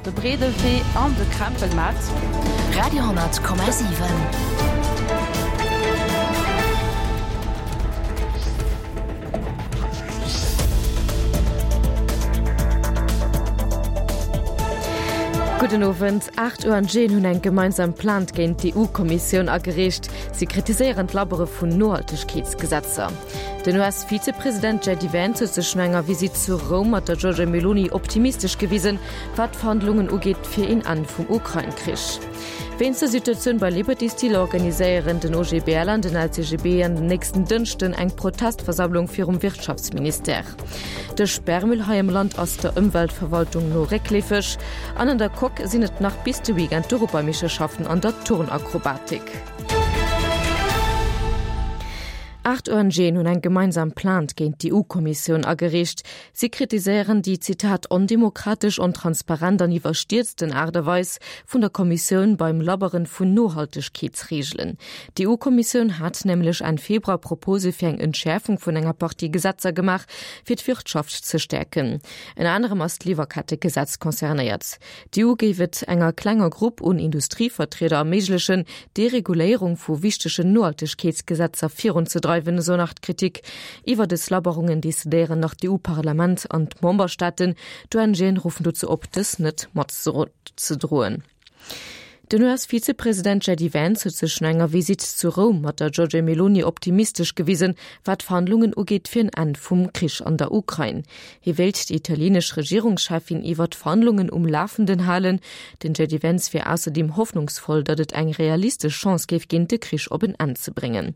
de Breedelwee an de Krempelmaart. Radio 10,7. Gudden Owend. 8 ONGen hunn eng gemeinsam Plainte géint d'EU-Kommissioun agereecht. Si kritiséieren d'Labbere vun Nohaltegkeetsgesetzer. Den US-Vizepresident JD Vance huet sech no enger Visitt zu Roum mat der Giorgia Meloni optimistesch gewisen, wat d'Verhandlungen ugeet fir een Enn vum Ukrain-Krich. Wéinst der Situatioun bei Liberty Steel organiséieren den OGBL an den LCGB an den nächsten Dënschden eng Protestversammlung virum Wirtschaftsministère. De Sperrmüll hei am Land ass der Ëmweltverwaltung no réckleefeg. An an der Coque sinn et nach bis de Weekend d'Europameeschterschaften an der Turnakrobatik. 8 ONGen hunn eng gemeinsam Plainte géint d'EU-Kommissioun agereecht. Si kritiséieren déi, Zitat, ondemokratesch, ontransparent an iwwerstierzten Aart a Weis vun der Kommissioun beim Labberen vun Nohaltegkeetsreegelen. D'EU-Kommissioun hat nämlech Enn Februar Propose fir eng Entschäerfung vun enger Partie Gesetzer gemaach, fir d'Wirtschaft ze stäerken. Ënner anerem ass d'Liwwerkettegesetz concernéiert. D'EU géif et enger klenger Grupp un Industrievertrieder erméiglechen, d'Dereguléierung vu wichtegen Nohaltegkeetsgesetzer virunzedreiwen, esou nach d'Kritik. Iwwer dës Labberungen decidéieren nach d'EU-Parlament an d'Memberstaaten. D'ONGen ruffen dozou op, dës net matzedroen. Den US-Vizepresident JD Vance huet sech no enger Visitt zu Roum mat der Giorgia Meloni optimistesch gewisen, wat d'Verhandlungen ugeet fir en Enn vum Krich an der Ukrain. Hie wéilt déi italienesch Regierungscheffin iwwer d'Verhandlungen um Lafenden halen. Den JD Vance wier ausserdeem hoffnungsvoll, datt et eng realistesch Chance géif ginn, de Krich op en Enn ze bréngen.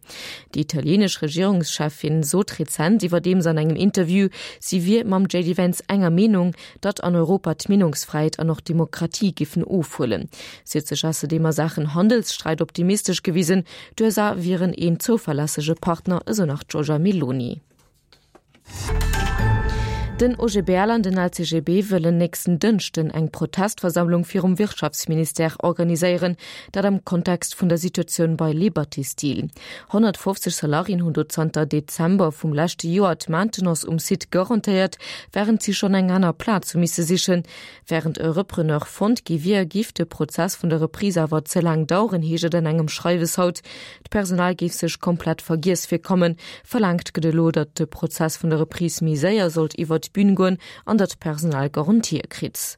Déi italienesch Regierungscheffin sot rezent iwwerdeems an engem Interview, si wier mam JD Vance enger Meenung, datt an Europa d'Meenungsfräiheet an och d'Demokratie giffen ofhuelen. Si huet sech ausserdeem a Saachen Handelssträit optimistesch gewisen, d'USA wieren een zouverlässege Partner, esou nach d'Giorgia Meloni. Den OGBL an den LCGB wëllen nächsten Dënschden eng Protestversammlung virum Wirtschaftsministère organiséieren, dat am Kontext vun der Situatioun bei Liberty Steel. 150 Salariéen hunn do zanter Dezember vum leschte Joer d'Maintenance um Site garantéiert, wärend si schonn eng aner Plaz hu misse sichen. Wärend e Repreneur fonnt gi wier, giff de Prozess vun der Reprise awer ze laang daueren, heescht et an engem Schreiwes haut. D'Personal géif sech komplett vergiess virkommen. Verlaangt gëtt elo, datt de Prozess vun der Reprise méi séier sollt iwwert d'Bün goen an datt d'Personal Garantië kritt.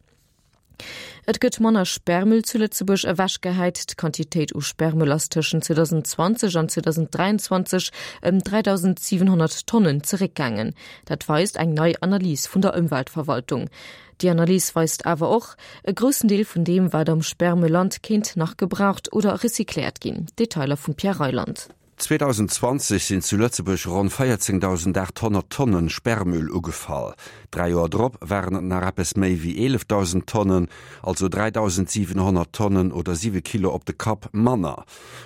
Et gëtt manner Sperrmüll zu Lëtzebuerg ewechgehäit. D'Quantitéit u Sperrmüll ass tëschent 2020 an 2023 ëm 3.700 Tonnen zeréckgaangen. Dat weist eng nei Analys vun der Ëmweltverwaltung. Déi Analys weist awer och, e groussen Deel vun deem, wat am Sperrmüll lant, kéint nach gebraucht oder recycléiert ginn. Detailer vum Pierre Reyland. 2020 sinn zu Lëtzebuerg ronn 14.800 Tonnen Sperrmüll ugefall. Dräi Joer drop waren et nach eppes méi wéi 11.000 Tonnen, also 3.700 Tonnen oder 7 Kilo op de Kapp manner.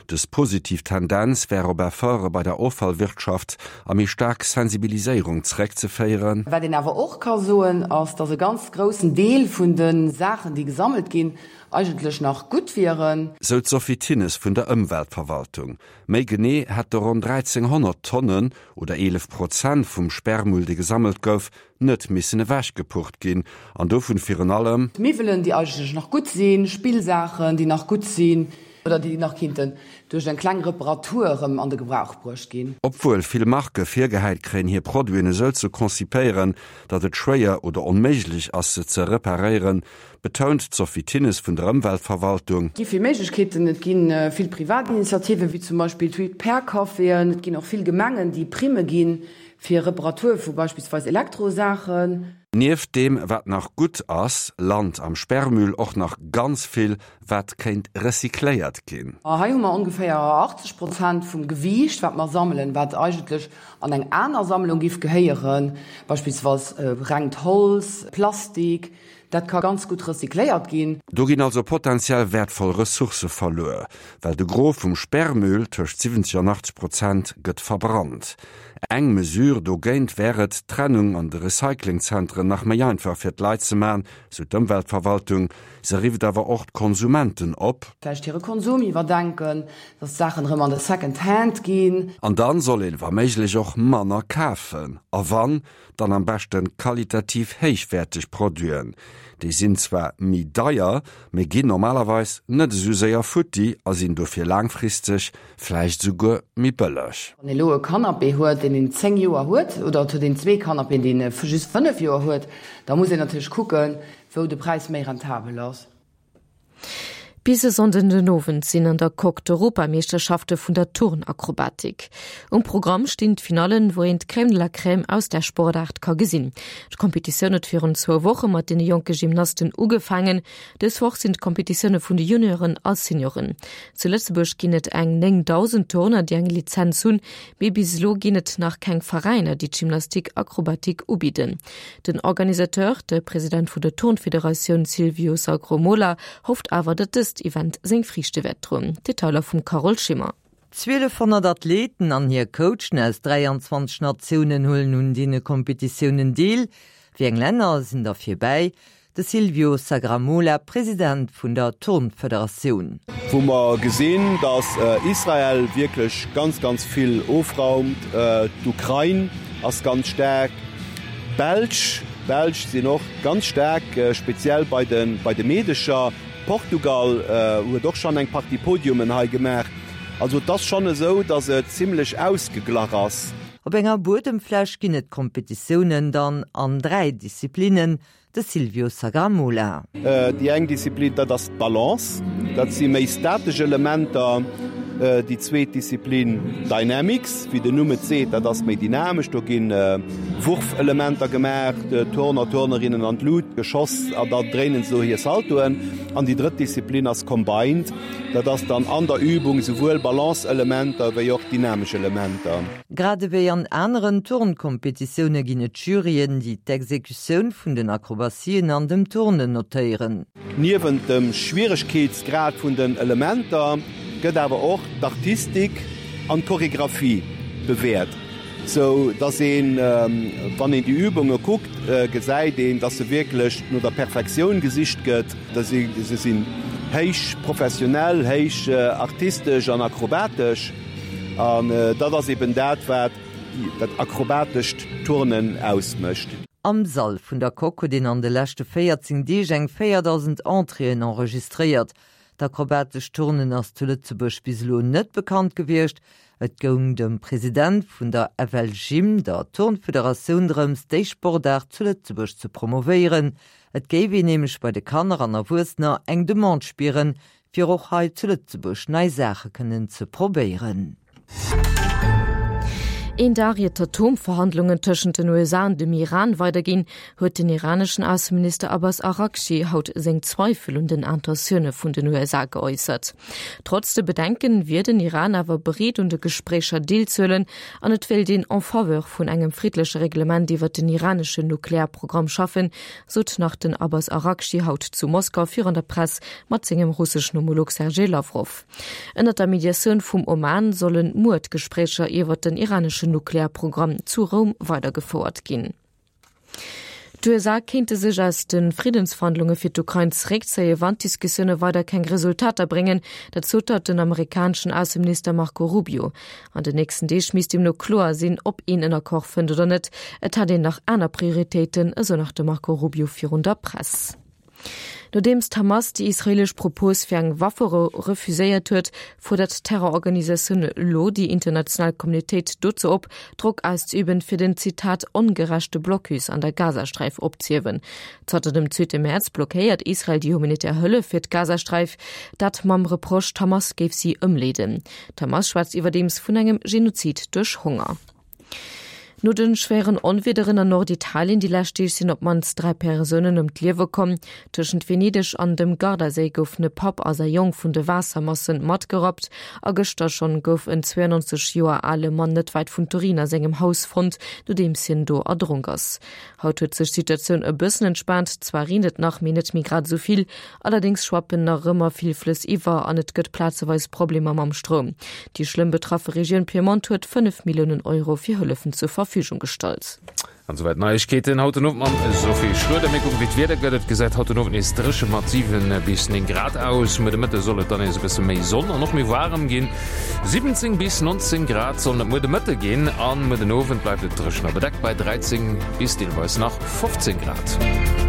Dës positiv Tendenz wär op Efforte bei der Offallwirtschaft a méi staark Sensibiliséierung zeréckzeféieren. Wat een awer och ka soen, ass, dass e ganz groussen Deel vun de Saachen, déi gesammelt ginn, eigentlech nach gutt wieren. Sou d'Sophie Thinnes vun der Ëmweltverwaltung. Méi genee hätte ronn 1.300 Tonnen, oder 11 Prozent vum Sperrmüll, dee gesammelt gouf, net missen ewechgepurrt ginn, an dovun virun allem. Miwwelen, déi eigentlech nach gutt sinn, Spillsaachen, déi nach gutt sinn oder déi nach kinnten duerch eng kleng Reparatur erëm an de Gebrauch bruecht ginn. Obwuel vill Marke virgehäit kréien, hir Produiten esou ze konzipéieren, datt et schwéier oder onméiglech ass, se ze reparéieren, betount d'Sophie Thinnes vun der Ëmweltverwaltung. Et gi vill Méiglechkeeten, et gi vill privat Initiativen, wéi zum Beispill d'Repair-Caféen, et ginn och vill Gemengen, déi Primme gi fir Reparatur vu beispillsweis Elektrosaachen. Nieft deem, wat nach gutt ass, lant am Sperrmüll och nach ganz vill, wat kéint recycléiert ginn. Hei hu mer ongeféier 80 Prozent vum Gewiicht, wat mer sammelen, wat eigentlech an eng aner Sammlung giff gehéieren, beispillsweis rengt Holz, Plastik, Dat ka ganz gutt recycléiert ginn. Do ginn also potentiell wäertvoll Ressourcë verluer, well de Gros vum Sperrmüll, tëscht 70 an 80 Prozent, gëtt verbrannt. Eng Mesure dogéint wär et, d'Trennung an de Recyclingzentren nach méi einfach fir d'Leit ze man, sou d'Ëmweltverwaltung. Se rifft awer och d'Konsumenten op. Vläicht hire Konsum iwwerdenken, dass d'Saachen erëm an de Second Hand ginn. An dann soll een wa méiglech och manner kafen. A wann, dann am beschten qualitativ héichwäerteg Produiten. Déi sinn zwar méi deier, mee ginn normalerweis net esou séier futti a sinn dofir laangfristeg vläicht esouguer méi bëlleg. Wann ee lo e Canapé huet, deen een 10 Joer huet, oder et huet een zwee Canapéen, déi een just 5 Joer huet, da muss een natierlech kucken, wou de Präis méi rentabel ass. Bis e Sonnden den Owend sinn an der Coque d'Europameeschterschafte vun der Turnakrobatik. Um Programm stinn d'Finallen, wou een d'Crème de la Crème aus där Sportaart ka gesinn. D'Kompetitioun huet virun zwou Woche mat deene jonke Gymnasten ugefaangen. Dës Woch sinn d'Kompetitioune vun de Junioren a Senioren. Zu Lëtzebuerg ginn et eng 9.000 Turner, déi eng Lizenz hunn, mee bis elo ginn et nach keng Veräiner, déi d'Gymnastique acrobatique ubidden. Den Organisateur, de President vun der Turnfederatioun Silvio Sagromola, hofft awer, datt dëst Event seng Friichte wäert droen. Detailer vum Carole Schimmer. 1.200 Athleten an hir Coachen aus 23 Natiounen huelen un deene Kompetitiounen deel. Wéi eng Länner sinn der virbäi? De Silvio Sagramola, President vun der Turnfederatioun. Wou mer gesinn, datt Israel wierklech ganz, ganz vill ofraumt. D'Ukrain ass ganz staark. D'Belsch, d'Belsch sinn och ganz staark, speziell bei de, bei de Meedecher. Portugal huet och schonn eng Partie Podiumen hei gemaach. Also et ass schonn esou, datt et zimmlech ausgeglach ass. Op enger Buedemfläch ginn et d'Kompetitiounen dann an 3 Disziplinnen, De Silvio Sagramola. Déi eng Disziplin, dat ass d'Balance, dat si méi statesch Elementer. Déi zweet Disziplin, Dynamics, wéi den Numm et seet, dat ass méi dynamesch, do gi Wurfelementer gemaach, Turner, Turnerinnen an d'Lut geschoss a da dréinen se do hir Saltoen. An déi drëtt Disziplin ass Combined, dat ass dann an der Übung esouwuel Balance-Elementer wéi och dynamesch Elementer. Grad ewéi an aneren Turnkompetitioune ginn et Juryen, déi d'Exekutioun vun den Akrobatien an dem Turnen notéieren. Niewent dem Schwieregkeetsgrad vun den Elementer gëtt awer och d'Artistik an d'Choregraphie bewäert, sou dass een, wann een déi Übunge kuckt, gesäit een, dass se wierklech no der Perfektioun gesicht gëtt. Se sinn héich professionell, héich artistesch an akrobatesch. An dat ass eben dat, wat dat akrobatescht Turnen ausmécht. Am Sall vun der Coque huet een an de leschte 14 Deeg eng 4.000 Entréeën enregistréiert. D'akrobatescht Turnen ass zu Lëtzebuerg bis elo net bekannt gewiescht. Et goung dem President vun der FLGym, der Turnfederatioun, drëms, déi Sportaart zu Lëtzebuerg ze promovéieren. Et géif een nämlech bei de Kanner an Erwuessener eng Demande spieren, fir och hei zu Lëtzebuerg nei Saache kënnen ze probéieren. Een Dag ier d'Atomverhandlungen tëschent den USA an dem Iran weiderginn, huet den iraneschen Ausseminister Abbas Araghchi haut seng Zweifel un den Intentioune vun den USA geäussert. Trotz de Bedenken wier den Iran awer bereet un de Gespréicher deelzehuelen an et wéilt een en faveur vun engem friddleche Reglement iwwer den iraneschen Nuklearprogramm schaffen, sot nach den Abbas Araghchi haut zu Moskau virun der Press mat sengem russeschen Homolog Sergej Lawrow. Ënnert der Mediatioun vum Oman solle muer d'Gespréicher iwwer den iraneschen Nuklearprogramm zu Roum weidergefouert ginn. D'USA kéinte sech aus de Friddensverhandlunge fir d'Ukrain zeréckzéien, wann d'Diskussioune weider keng Resultater bréngen. Dat sot haut den amerikaneschen Ausseminister Marco Rubio. An den nächsten Deeg misst deemno kloer sinn, ob een en Accord fënnt oder net. Et hätt een nach aner Prioritéiten, esou nach de Marco Rubio virun der Press. Nodeems d'Hamas déi israeelesch Propos fir eng Wafferou refuséiert huet, fuerdert d'Terrororganisatioun elo déi international Communautéit dozou op, Drock auszeüben, fir den, Zitat, ongerechte Blocus an der Gazasträif opzehiewen. Zanter dem zweete Mäerz blockéiert Israel déi humanitär Hëllef fir d'Gazasträif, dat mam Reproche, d'Hamas géif si ëmleeden. D'Hamas schwätzt iwwerdeems vun engem Genozid duerch Honger. No de schwéieren Onwiederen an Norditalien déi lescht Deeg sinn op d'mannst 3 Persounen ëm d'Liewe komm. Tëschent Venedeg an dem Gardaséi goufen e Papp a säi Jong vun de Waassermassen matgerappt. A gëschter schonn gouf en 92 Joer ale Mann net wäit vun Turin a sengem Haus fonnt, nodeems hien do erdronk ass. Haut huet sech d'Situatioun e bëssen entspaant, zwar reent et nach, mee net méi grad esou vill. Allerdéngs schwappen nach ëmmer vill Flëss iwwer an et gëtt plazeweis Problemer mam Stroum. Déi schlëmm betraffe Regioun Piemont huet 5 Milliounen Euro fir Hëllefen zur Verfügung gestallt. An souwäit d'Neiegkeeten haut den Owend mam Sophie Schroeder. Mir kucken, wéi d'Wieder gëtt. Et gesäit haut den Owend nees dréche mat 7 bis 9 Grad aus. Muer de Mëtte soll et dann nees e bësse méi Sonn an och méi waarem ginn. 17 bis 19 Grad sollen et muer de Mëtte ginn an muer den Owend bleift et dréchen a bedeckt bei 13 bis deelweis nach 15 Grad.